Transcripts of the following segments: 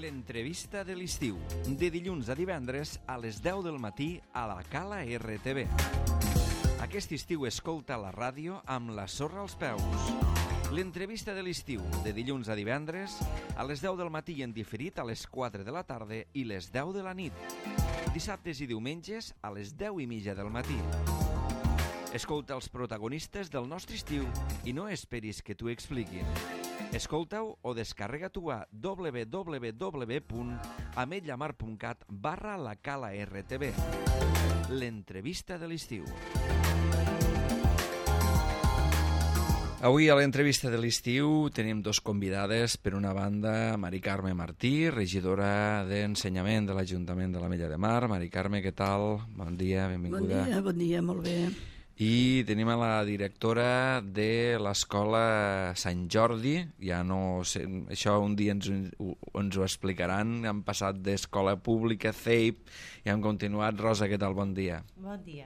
L'entrevista de l'estiu, de dilluns a divendres a les 10 del matí a la Cala RTV. Aquest estiu escolta la ràdio amb la sorra als peus. L'entrevista de l'estiu, de dilluns a divendres a les 10 del matí i en diferit a les 4 de la tarda i les 10 de la nit. Dissabtes i diumenges a les 10:30 del matí. Escolta els protagonistes del nostre estiu i no esperis que t'ho expliquin. Escolta-ho o descarrega-t'ho a www.ametlamar.cat/la Cala RTV. L'entrevista de l'estiu. Avui a l'entrevista de l'estiu tenim dos convidades. Per una banda, Mari Carme Martí, regidora d'Ensenyament de l'Ajuntament de l'Ametlla de Mar. Mari Carme, què tal? Bon dia, benvinguda. Bon dia, molt bé. I tenim a la directora de l'Escola Sant Jordi. Ja no sé, això un dia ens ho explicaran. Hem passat d'escola pública, CEIP, i hem continuat. Rosa, què tal? Bon dia. Bon dia.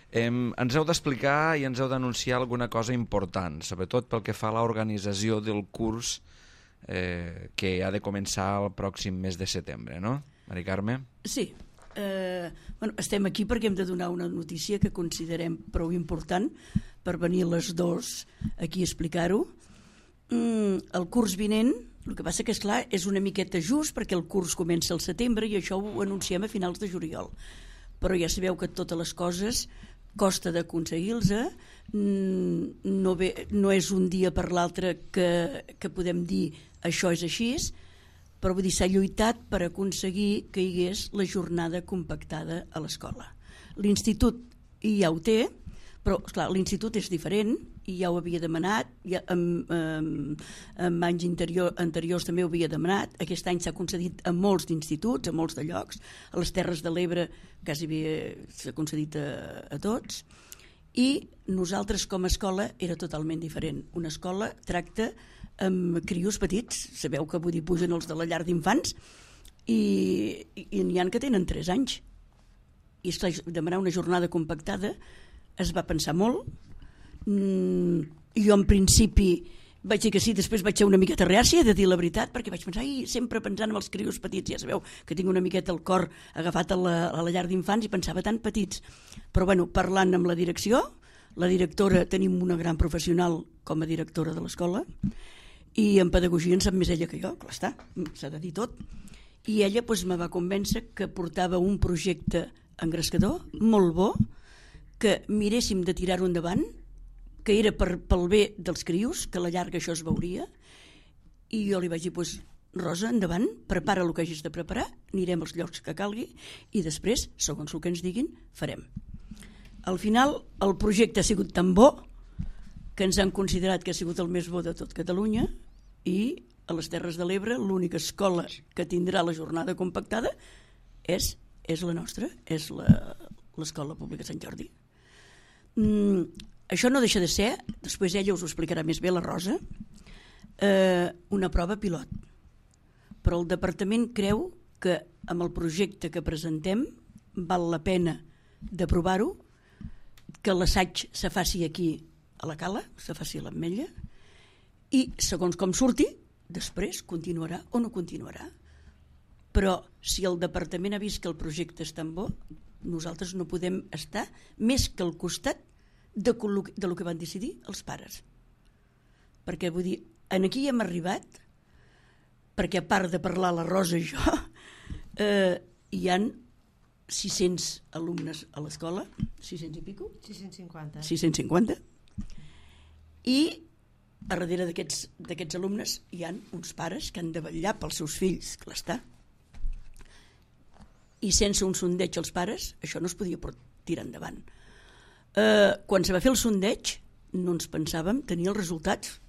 Ens heu d'explicar i ens heu d'anunciar alguna cosa important, sobretot pel que fa a l'organització del curs que ha de començar el pròxim mes de setembre, no? Mari Carme? Sí. Estem aquí perquè hem de donar una notícia que considerem prou important per venir les dos aquí a explicar-ho. El curs vinent, el que passa que és clar, és una miqueta just perquè el curs comença al setembre i això ho anunciem a finals de juliol, però ja sabeu que totes les coses costa d'aconseguir-los, no és un dia per l'altre que podem dir això és així, però vull dir, s'ha lluitat per aconseguir que hi hagués la jornada compactada a l'escola. L'Institut ja ho té, però esclar, l'Institut és diferent i ja ho havia demanat, en anys anteriors també ho havia demanat. Aquest any s'ha concedit a molts d'instituts, a molts de llocs, a les Terres de l'Ebre quasi s'ha concedit a tots, i nosaltres com a escola era totalment diferent. Una escola tracta amb crios petits, sabeu que vull dir, pugen els de la llar d'infants i n'hi ha que tenen 3 anys. I esclar, demanar una jornada compactada es va pensar molt. Jo en principi vaig dir que sí, després vaig ser una miqueta reàcia de dir la veritat, perquè vaig pensar, sempre pensant en els crios petits, ja sabeu que tinc una miqueta el cor agafat a la llar d'infants i pensava tan petits. Però bueno, parlant amb la direcció, la directora, tenim una gran professional com a directora de l'escola, i en pedagogia en sap més ella que jo, clar està, s'ha de dir tot. I ella me va convèncer que portava un projecte engrescador, molt bo, que miréssim de tirar-ho endavant, que era pel bé dels crios, que a la llarga això es veuria, i jo li vaig dir, Rosa, endavant, prepara el que hagis de preparar, anirem als llocs que calgui, i després, segons el que ens diguin, farem. Al final, el projecte ha sigut tan bo que ens han considerat que ha sigut el més bo de tot Catalunya, i a les Terres de l'Ebre l'única escola que tindrà la jornada compactada és la nostra, és l'Escola Pública Sant Jordi. Això no deixa de ser, després ella us ho explicarà més bé, la Rosa, una prova pilot. Però el departament creu que amb el projecte que presentem val la pena d'aprovar-ho, que l'assaig se faci aquí a la Cala, se faci a l'Ametlla, i segons com surti, després continuarà o no continuarà. Però si el departament ha vist que el projecte és tan bo, nosaltres no podem estar més que al costat de lo que van decidir els pares. Perquè vull dir, aquí hem arribat, perquè a part de parlar la Rosa i jo, hi han 600 alumnes a l'escola, 600 i pico? 650. 650. I a darrere d'aquests alumnes hi ha uns pares que han de vetllar pels seus fills, clar està. I sense un sondeig als pares, això no es podia tirar endavant. Quan se va fer el sondeig, no ens pensàvem tenir els resultats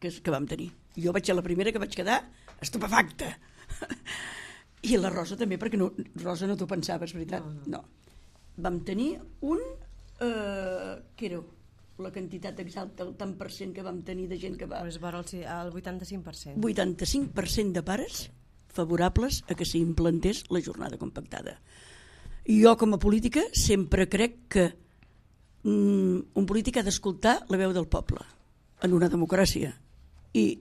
que vam tenir. Jo vaig ser la primera que vaig quedar estupefacta. I la Rosa també, perquè Rosa no t'ho pensaves, veritat? No. Vam tenir què era la quantitat exacta, el tant per cent que vam tenir de gent que va... El 85%. 85% de pares favorables a que s'implantés la jornada compactada. Jo, com a política, sempre crec que un polític ha d'escoltar la veu del poble en una democràcia. I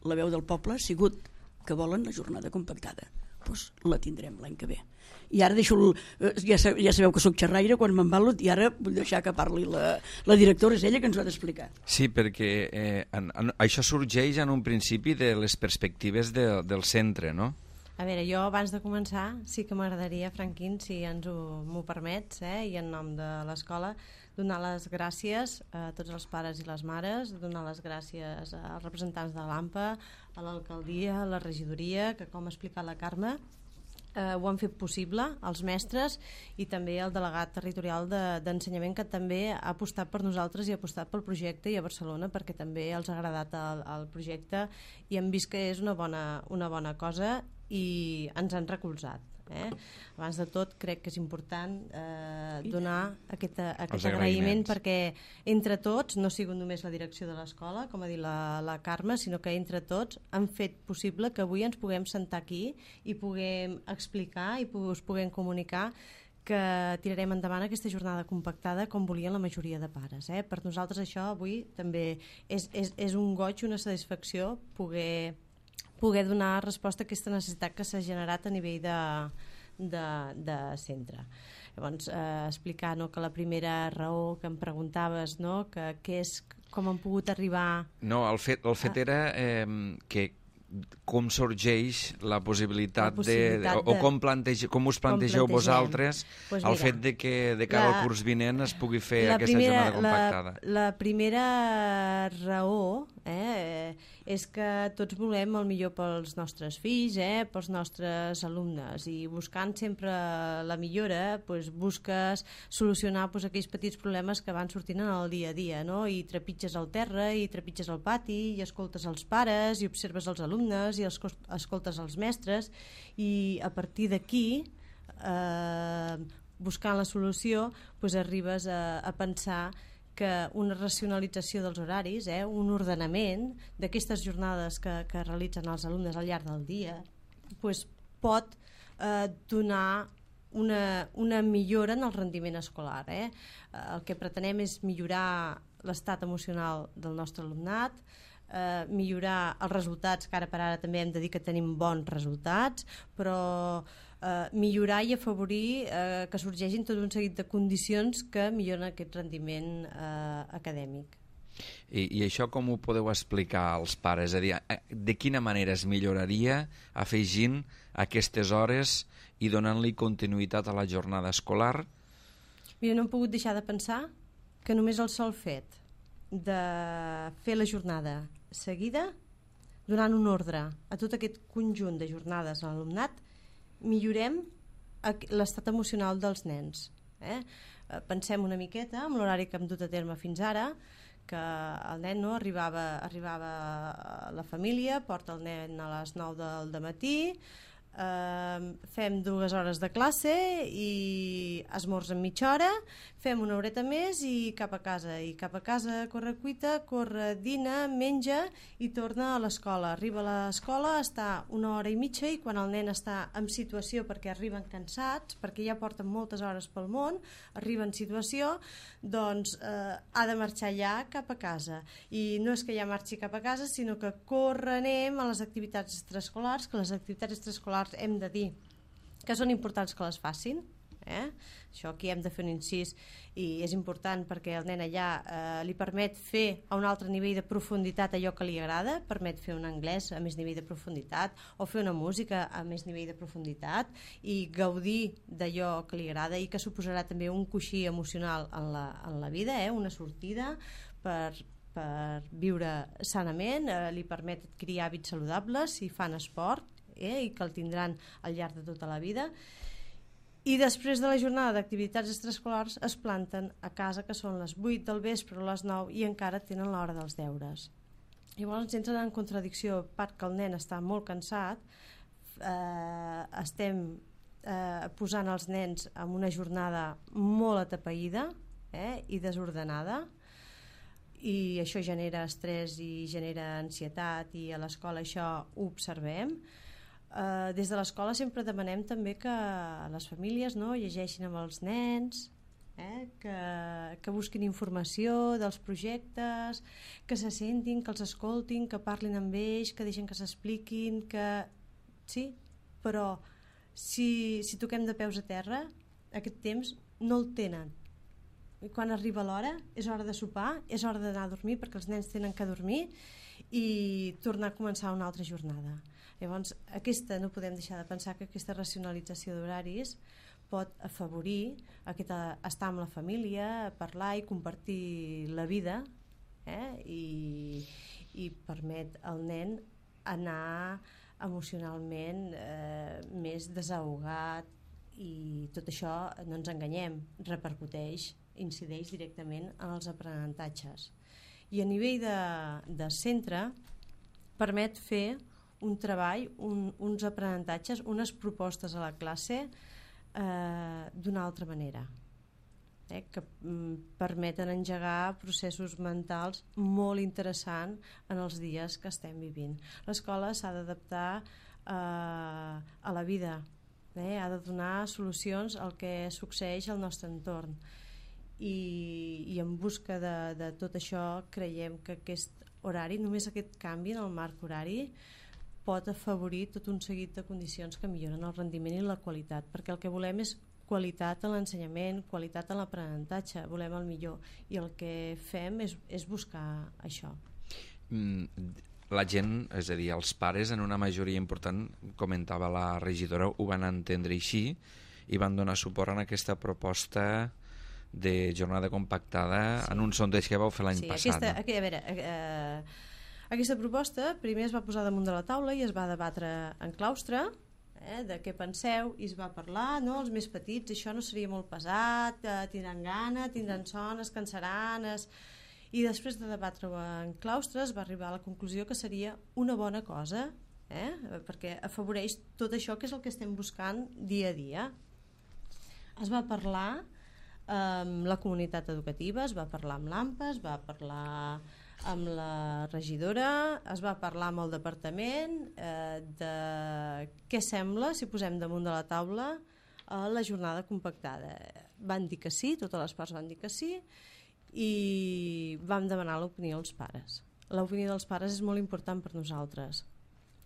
la veu del poble ha sigut que volen la jornada compactada. Doncs la tindrem l'any que ve. I ara deixo, ja sabeu que sóc xerraire quan m'embalo, i ara vull deixar que parli la directora, és ella que ens ho ha d'explicar. Sí, perquè això sorgeix en un principi de les perspectives del centre, no? A veure, jo abans de començar sí que m'agradaria, Franquín, si m'ho permets, i en nom de l'escola, donar les gràcies a tots els pares i les mares, donar les gràcies als representants de l'AMPA, a l'alcaldia, a la regidoria, que com ha explicat la Carme, ho han fet possible, als mestres i també al delegat territorial d'ensenyament, que també ha apostat per nosaltres i ha apostat pel projecte, i a Barcelona perquè també els ha agradat el projecte i hem vist que és una bona cosa i ens han recolzat. Abans de tot crec que és important donar aquest agraïment, perquè entre tots, no ha sigut només la direcció de l'escola, com ha dit la Carme, sinó que entre tots han fet possible que avui ens puguem sentar aquí i puguem explicar i us puguem comunicar que tirarem endavant aquesta jornada compactada com volien la majoria de pares. Per nosaltres això avui també és un goig, una satisfacció poder donar resposta a aquesta necessitat que s'ha generat a nivell de centre. Llavors, explicar que la primera raó que em preguntaves, que és com han pogut arribar... No, el fet era que com sorgeix la possibilitat o com us plantegeu vosaltres el fet de que de cara al curs vinent es pugui fer aquesta jornada compactada. La primera raó és que tots volem el millor pels nostres fills, pels nostres alumnes, i buscant sempre la millora busques solucionar aquells petits problemes que van sortint en el dia a dia, i trepitges al terra i trepitges al pati i escoltes els pares i observes els alumnes i escoltes els mestres, i a partir d'aquí buscant la solució arribes a pensar que una racionalització dels horaris, un ordenament d'aquestes jornades que realitzen els alumnes al llarg del dia, pot donar una millora en el rendiment escolar. El que pretenem és millorar l'estat emocional del nostre alumnat, millorar els resultats, que ara per ara també hem de dir que tenim bons resultats, però millorar i afavorir que sorgeixin tot un seguit de condicions que milloren aquest rendiment acadèmic. I això com ho podeu explicar als pares? És a dir, de quina manera es milloraria afegint aquestes hores i donant-li continuïtat a la jornada escolar? Mira, no hem pogut deixar de pensar que només el sol fet de fer la jornada seguida, donant un ordre a tot aquest conjunt de jornades a l'alumnat, millorem l'estat emocional dels nens. Pensem una miqueta amb l'horari que hem dut a terme fins ara, que el nen arribava a la família, porta el nen a les 9 del dematí, fem 2 hores de classe i esmorza en mitja hora, fem una horeta més i cap a casa corre cuita, corre, dina, menja i torna a l'escola. Arriba a l'escola, està 1 hora i mitja, i quan el nen està en situació, perquè arriben cansats, perquè ja porten moltes hores pel món, arriba en situació, doncs ha de marxar ja cap a casa. I no és que ja marxi cap a casa, sinó que anem a les activitats extraescolars, que les activitats extraescolars hem de dir que són importants que les facin. Això aquí hem de fer un incís, i és important perquè el nen allà li permet fer a un altre nivell de profunditat allò que li agrada, permet fer un anglès a més nivell de profunditat o fer una música a més nivell de profunditat i gaudir d'allò que li agrada, i que suposarà també un coixí emocional en la vida, una sortida per viure sanament, li permet adquirir hàbits saludables si fan esport, i que el tindran al llarg de tota la vida. I després de la jornada d'activitats extraescolars es planten a casa, que són les 8 del vespre o les 9, i encara tenen l'hora dels deures. Llavors ens entren en contradicció, a part que el nen està molt cansat, estem posant els nens en una jornada molt atapeïda i desordenada, i això genera estrès i genera ansietat, i a l'escola això ho observem. Des de l'escola sempre demanem també que les famílies llegeixin amb els nens, que busquin informació dels projectes, que se sentin, que els escoltin, que parlin amb ells, que deixin que s'expliquin, que sí, però si toquem de peus a terra, aquest temps no el tenen. I quan arriba l'hora, és hora de sopar, és hora d'anar a dormir, perquè els nens tenen que dormir i tornar a començar una altra jornada. Llavors, no podem deixar de pensar que aquesta racionalització d'horaris pot afavorir estar amb la família, parlar i compartir la vida, i permet al nen anar emocionalment més desahogat, i tot això, no ens enganyem, incideix directament en els aprenentatges. I a nivell de centre permet fer un treball, uns aprenentatges, unes propostes a la classe d'una altra manera, que permeten engegar processos mentals molt interessants en els dies que estem vivint. L'escola s'ha d'adaptar a la vida, ha de donar solucions al que succeeix al nostre entorn, i en busca de tot això creiem que aquest horari, només aquest canvi en el marc horari, pot afavorir tot un seguit de condicions que milloren el rendiment i la qualitat, perquè el que volem és qualitat en l'ensenyament, qualitat en l'aprenentatge, volem el millor, i el que fem és buscar això. La gent, és a dir, els pares en una majoria important, comentava la regidora, ho van entendre així i van donar suport a aquesta proposta de jornada compactada, en un sondeig que vau fer l'any passat. Aquesta proposta primer es va posar damunt de la taula i es va debatre en claustre, de què penseu, i es va parlar, no? Els més petits, això no seria molt pesat, tindran gana, tindran son, es cansaran, i després de debatre en claustre es va arribar a la conclusió que seria una bona cosa, perquè afavoreix tot això que és el que estem buscant dia a dia. Es va parlar amb la comunitat educativa, es va parlar amb l'AMPA, es va parlar amb la regidora, es va parlar amb el departament de què sembla si posem damunt de la taula la jornada compactada. Van dir que sí, totes les parts van dir que sí, i vam demanar l'opinió als pares. L'opinió dels pares és molt important per nosaltres.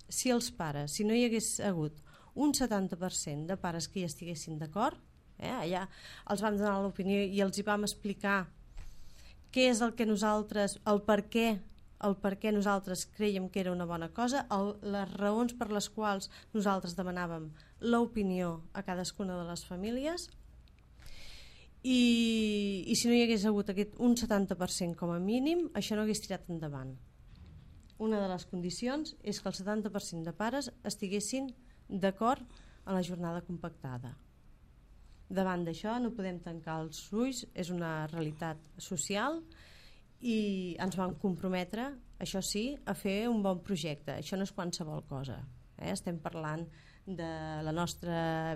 Si els pares, si no hi hagués hagut un 70% de pares que hi estiguessin d'acord, allà els vam donar l'opinió i els hi vam explicar què és el que nosaltres, el per què nosaltres creiem que era una bona cosa, les raons per les quals nosaltres demanàvem l'opinió a cadascuna de les famílies, i si no hi hagués hagut un 70% com a mínim, això no hagués tirat endavant. Una de les condicions és que el 70% de pares estiguessin d'acord en la jornada compactada. Davant d'això no podem tancar els ulls, és una realitat social, i ens vam comprometre, això sí, a fer un bon projecte. Això no és qualsevol cosa. Estem parlant de la nostra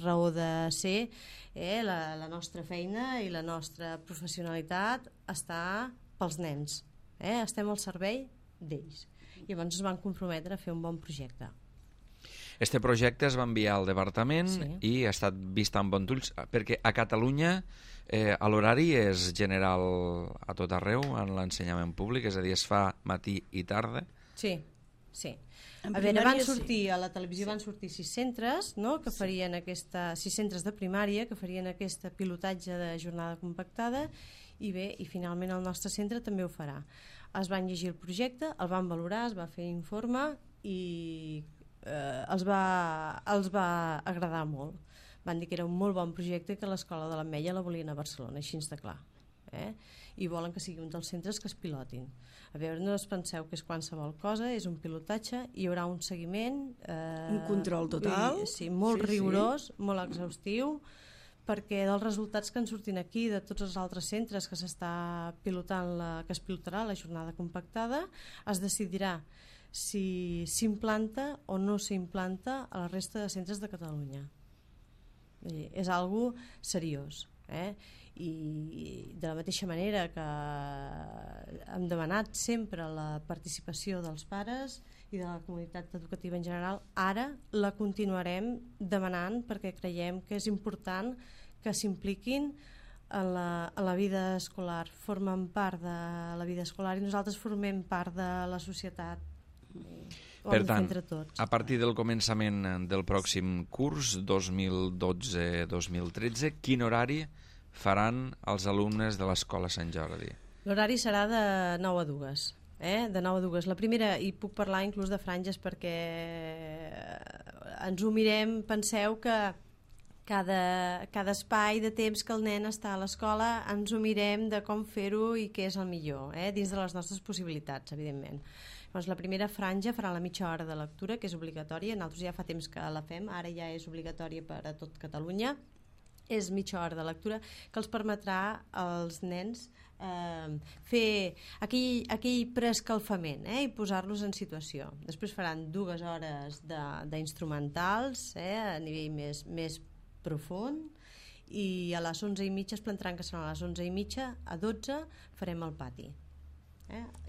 raó de ser, la nostra feina i la nostra professionalitat està pels nens. Estem al servei d'ells. Llavors ens vam comprometre a fer un bon projecte. Este projecte es va enviar al departament, sí, i ha estat vist amb bons ulls, perquè a Catalunya l'horari és general a tot arreu en l'ensenyament públic, és a dir, es fa matí i tarda. Sí. Van sortir a la televisió, van sortir 6 centres, no? Que farien 6 centres de primària que farien aquest pilotatge de jornada compactada, i finalment el nostre centre també ho farà. Es van llegir el projecte, el van valorar, es va fer informe i els va agradar molt. Van dir que era un molt bon projecte i que l'escola de l'Ametlla la volien a Barcelona, així de clar. I volen que sigui un dels centres que es pilotin. A veure, no us penseu que és qualsevol cosa, és un pilotatge, hi haurà un seguiment, un control total, molt rigorós, molt exhaustiu, perquè dels resultats que en surtin aquí de tots els altres centres que s'està pilotant, que es pilotarà la jornada compactada, es decidirà si s'implanta o no s'implanta a la resta de centres de Catalunya. És algo seriós, i de la mateixa manera que hem demanat sempre la participació dels pares i de la comunitat educativa en general, ara la continuarem demanant perquè creiem que és important que s'impliquin en la vida escolar, formen part de la vida escolar i nosaltres formem part de la societat. ho Per hem de fer tant, entre tots. a partir del començament del pròxim curs, 2012-2013, quin horari faran els alumnes de l'Escola Sant Jordi? L'horari serà de 9 a 2. De 9 a 2. La primera, i puc parlar inclús de franges perquè ens ho mirem, penseu que cada espai de temps que el nen està a l'escola ens ho mirem de com fer-ho i què és el millor, dins de les nostres possibilitats, evidentment. Doncs la primera franja farà la mitja hora de lectura, que és obligatòria. Nosaltres ja fa temps que la fem, ara ja és obligatòria per a tot Catalunya. És mitja hora de lectura que els permetrà als nens fer aquell preescalfament i posar-los en situació. Després faran 2 hores d'instrumentals a nivell més profund, i a les 11:30 es plantaran, que seran a les 11:30, a 12 farem el pati.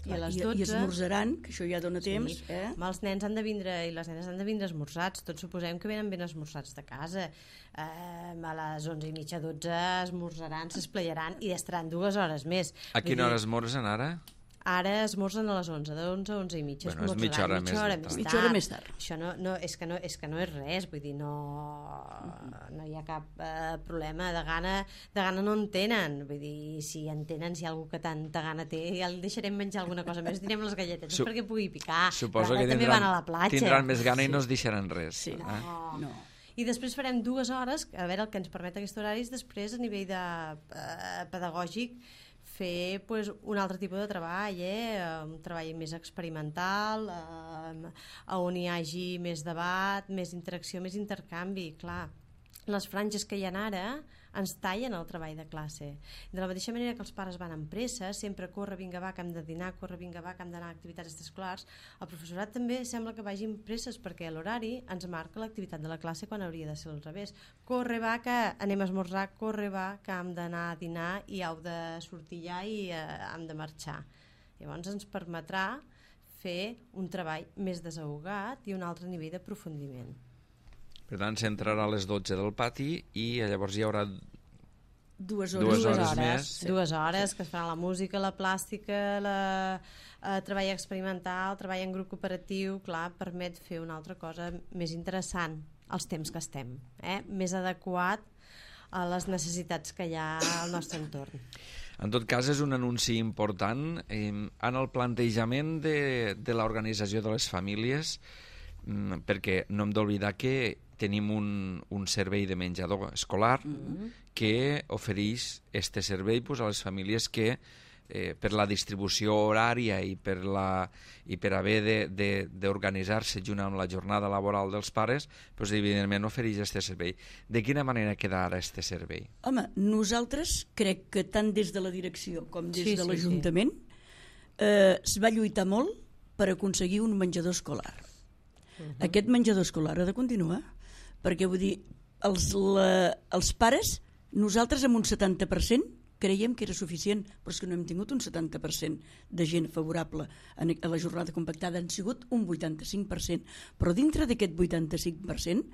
I a les 12... I esmorzaran, que això ja dona temps. Els nens han de vindre i les nenes han de vindre esmorzats. Tots suposem que venen ben esmorzats de casa. A les 11:30, 12 esmorzaran, s'esplaiaran i estaran 2 hores més. A quina hora esmorzen ara? Ara esmorzen a les 11, de 11 a 11:30. Bueno, és mitja hora més tard. Això és que no és res, vull dir, no hi ha cap problema. De gana no en tenen. Vull dir, si en tenen, si hi ha algú que tanta gana té, ja li deixarem menjar alguna cosa més, direm les galletes perquè pugui picar. Suposo que també van a la platja. Tindran més gana i no es deixaran res. Sí. No. I després farem 2 hores, a veure el que ens permet aquest horari, després a nivell pedagògic fer un altre tipus de treball, un treball més experimental, on hi hagi més debat, més interacció, més intercanvi. Clar, les franges que hi ha ara ens tallen el treball de classe. De la mateixa manera que els pares van amb pressa, sempre corre, vinga, va, que hem de dinar, corre, vinga, va, que hem d'anar a activitats extraescolars, el professorat també sembla que vagi amb presses perquè l'horari ens marca l'activitat de la classe quan hauria de ser al revés. Corre, va, que anem a esmorzar, corre, va, que hem d'anar a dinar i heu de sortir ja i hem de marxar. Llavors ens permetrà fer un treball més desahogat i un altre nivell d'aprofundiment. Per tant, s'entrarà a les 12 del pati i llavors hi haurà 2 hores més. 2 hores, que es farà la música, la plàstica, treball experimental, treball en grup cooperatiu. Clar, permet fer una altra cosa més interessant als temps que estem, més adequat a les necessitats que hi ha al nostre entorn. En tot cas, és un anunci important en el plantejament de l'organització de les famílies, perquè no hem d'oblidar que tenim un servei de menjador escolar que ofereix este servei a les famílies que per la distribució horària i per haver d'organitzar-se junt amb la jornada laboral dels pares, evidentment ofereix este servei. De quina manera queda ara este servei? Home, nosaltres crec que tant des de la direcció com des de l'Ajuntament es va lluitar molt per aconseguir un menjador escolar. Aquest menjador escolar ha de continuar, perquè vull dir, els pares, nosaltres amb un 70% creiem que era suficient, però és que no hem tingut un 70% de gent favorable a la jornada compactada, han sigut un 85%, però dintre d'aquest 85%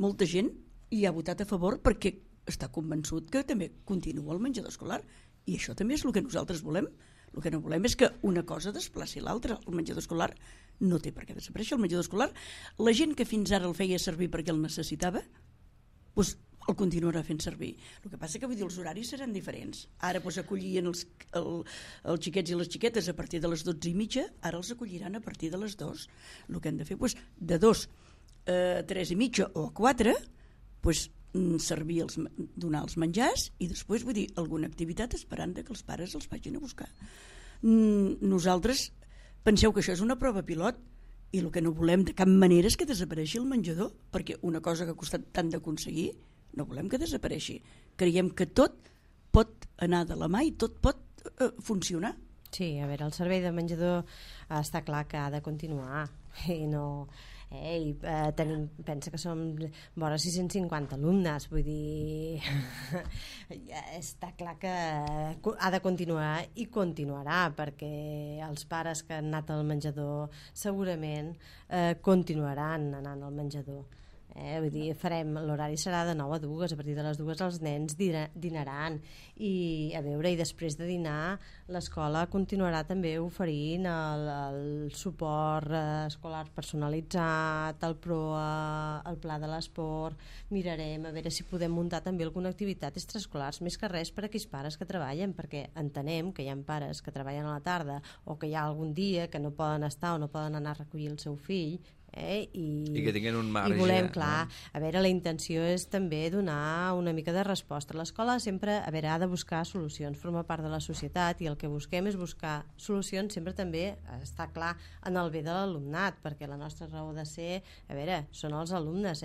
molta gent hi ha votat a favor perquè està convençut que també continua el menjador escolar, i això també és el que nosaltres volem. El que no volem és que una cosa desplaci l'altra. El menjador escolar no té per què desaparèixer. El menjador escolar, la gent que fins ara el feia servir perquè el necessitava, doncs el continuarà fent servir. El que passa que vull dir, els horaris seran diferents. Ara acollien els xiquets i les xiquetes a partir de les 12:30, ara els acolliran a partir de les 2. El que hem de fer, de 2 a 3:30 o a 4, servir donar els menjars i després, vull dir, alguna activitat esperant que els pares els vagin a buscar. Nosaltres penseu que això és una prova pilot i el que no volem de cap manera és que desapareixi el menjador, perquè una cosa que ha costat tant d'aconseguir no volem que desapareixi. Creiem que tot pot anar de la mà i tot pot funcionar. Sí, a veure, el servei de menjador està clar que ha de continuar i no... pensa que som vora 650 alumnes, vull dir està clar que ha de continuar i continuarà, perquè els pares que han anat al menjador segurament continuaran anant al menjador. Vull dir, l'horari serà de 9 a 2, a partir de les 2 els nens dinaran i a veure, i després de dinar l'escola continuarà també oferint el suport escolar personalitzat, el PROA, el pla de l'esport. Mirarem a veure si podem muntar també alguna activitat extraescolars, més que res per a aquells pares que treballen, perquè entenem que hi ha pares que treballen a la tarda o que hi ha algun dia que no poden estar o no poden anar a recollir el seu fill, i que tinguin un marge. I volem, clar, a veure, la intenció és també donar una mica de resposta. L'escola sempre, a veure, ha de buscar solucions, forma part de la societat, i el que busquem és buscar solucions sempre també, està clar, en el bé de l'alumnat, perquè la nostra raó de ser, a veure, són els alumnes,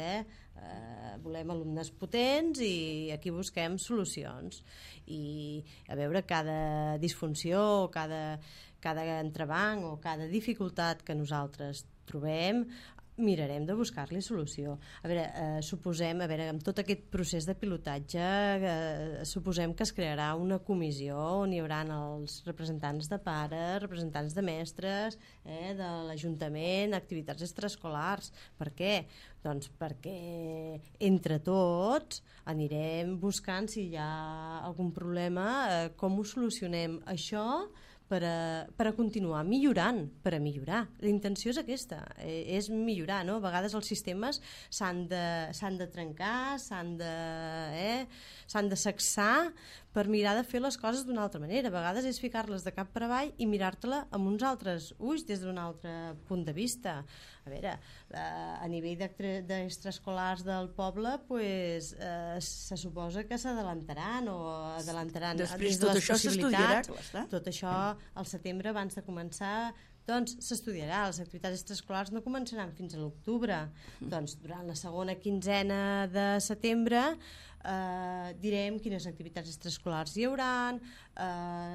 volem alumnes potents i aquí busquem solucions. I a veure, cada disfunció, cada entrebanc o cada dificultat que nosaltres trobem, mirarem de buscar-li solució. A veure, amb tot aquest procés de pilotatge, suposem que es crearà una comissió on hi haurà els representants de pares, representants de mestres, de l'Ajuntament, activitats extraescolars. Per què? Doncs perquè entre tots anirem buscant si hi ha algun problema, com ho solucionem això per a continuar millorant, per a millorar. La intenció és aquesta, és millorar, no? A vegades els sistemes s'han de trencar, s'han de sacsar per mirar de fer les coses d'una altra manera. A vegades és ficar-les de cap per avall i mirar-te-la amb uns altres ulls, des d'un altre punt de vista. A veure, a nivell d'extraescolars del poble, pues, se suposa que s'adelantaran o adelantaran després tot això s'estudiarà. Tot això al setembre, abans de començar, doncs s'estudiarà. Les activitats extraescolars no començaran fins a l'octubre. Doncs durant la segona quinzena de setembre direm quines activitats extraescolars hi hauran,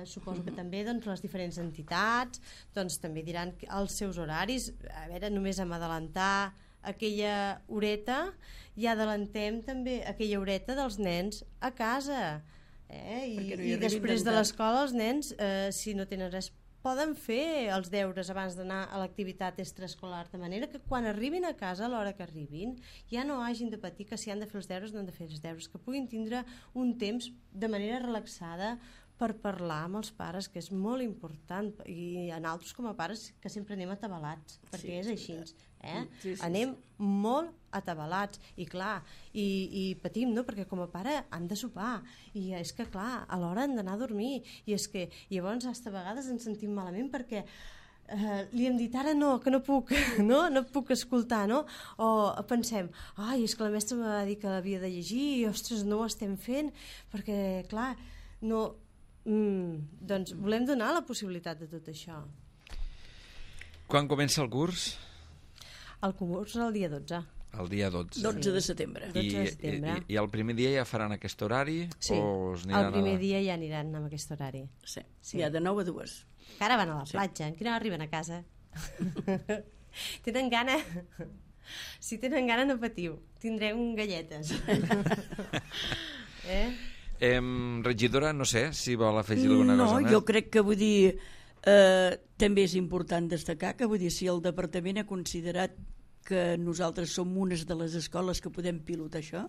suposo que també doncs, les diferents entitats doncs, també diran els seus horaris. A veure, només hem d'adelantar aquella horeta i adelantem també aquella horeta dels nens a casa. I després de l'escola els nens, si no tenen res, poden fer els deures abans d'anar a l'activitat extraescolar, de manera que quan arribin a casa, a l'hora que arribin, ja no hagin de patir que si han de fer els deures no han de fer els deures, que puguin tindre un temps de manera relaxada per parlar amb els pares, que és molt important, i a nosaltres com a pares que sempre anem atabalats, perquè és així. Anem molt atabalats i clar, i patim, no? Perquè com a pare han de sopar i és que clar, a l'hora han d'anar a dormir i és que llavors a vegades ens sentim malament perquè li hem dit ara no, que no puc, no puc escoltar, no? O pensem, és que la mestra em va dir que l'havia de llegir i ostres, no ho estem fent perquè clar, no doncs volem donar la possibilitat de tot això. Quan comença el curs? El curs el dia 12. El dia 12. 12 de setembre. I el primer dia ja faran aquest horari? Sí, el primer dia ja aniran amb aquest horari. Sí, ja de 9 a 2. Que ara van a la platja, que no arriben a casa. Tenen gana... Si tenen gana no patiu, tindrem galletes. Regidora, no sé si vol afegir alguna cosa més. No, jo crec que vull dir... també és important destacar que vull dir, si el departament ha considerat que nosaltres som unes de les escoles que podem pilotar això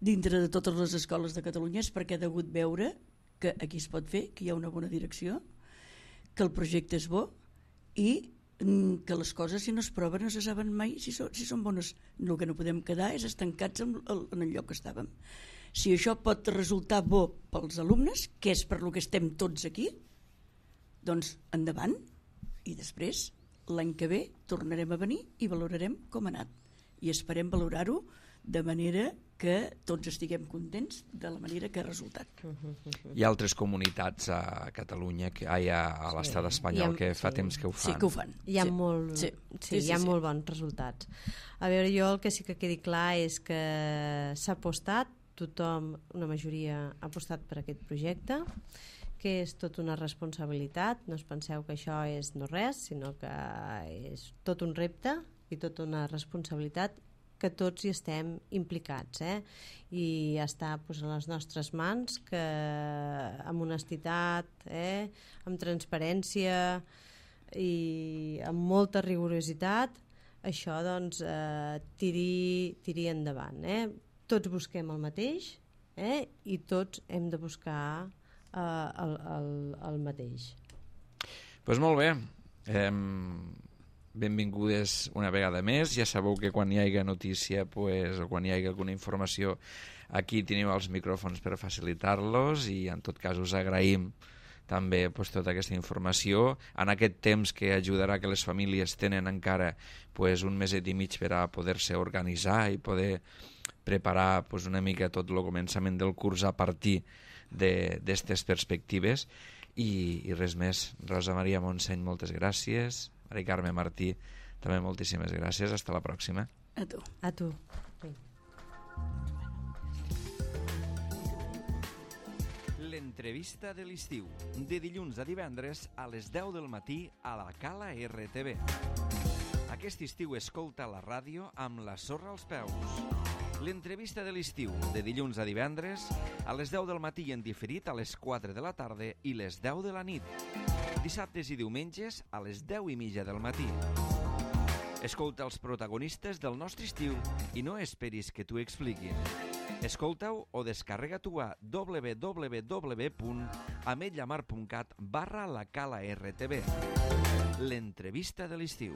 dintre de totes les escoles de Catalunya és perquè ha degut veure que aquí es pot fer, que hi ha una bona direcció, que el projecte és bo i que les coses si no es proven no se saben mai si són bones. El que no podem quedar és estancats en el lloc que estàvem. Si això pot resultar bo pels alumnes, que és per lo que estem tots aquí, doncs endavant, i després l'any que ve tornarem a venir i valorarem com ha anat i esperem valorar-ho de manera que tots estiguem contents de la manera que ha resultat. Hi ha altres comunitats a Catalunya, a l'estat espanyol, que fa temps que ho fan. Sí, que ho fan. Hi ha molt bons resultats. A veure, jo el que sí que quedi clar és que s'ha apostat, tothom, una majoria ha apostat per aquest projecte, que és tot una responsabilitat, no us penseu que això és no res, sinó que és tot un repte i tota una responsabilitat que tots hi estem implicats, i està pues, a les nostres mans que amb honestitat, amb transparència i amb molta rigorositat això doncs tiri endavant. Tots busquem el mateix i tots hem de buscar el mateix. Doncs molt bé. Benvingudes una vegada més. Ja sabeu que quan hi hagi notícia o quan hi hagi alguna informació, aquí teniu els micròfons per facilitar-los, i en tot cas us agraïm també tota aquesta informació en aquest temps que ajudarà que les famílies tenen encara un meset i mig per a poder-se organitzar i poder preparar una mica tot el començament del curs a partir d'aquestes perspectives. I res més. Rosa Maria Montseny, moltes gràcies. Mari Carme Martí, també moltíssimes gràcies. Hasta la pròxima. A tu. A tu. L'entrevista de l'estiu, de dilluns a divendres a les 10 del matí a la Cala RTV. Aquest estiu escolta la ràdio amb la sorra als peus. L'entrevista de l'estiu, de dilluns a divendres a les 10 del matí i en diferit a les 4 de la tarda i les 10 de la nit. Dissabtes i diumenges a les 10:30 del matí. Escolta els protagonistes del nostre estiu i no esperis que t'ho expliquin. Escolta-ho o descarrega-t'ho a www.ametlllamar.cat/la Cala RTV. L'entrevista de l'estiu.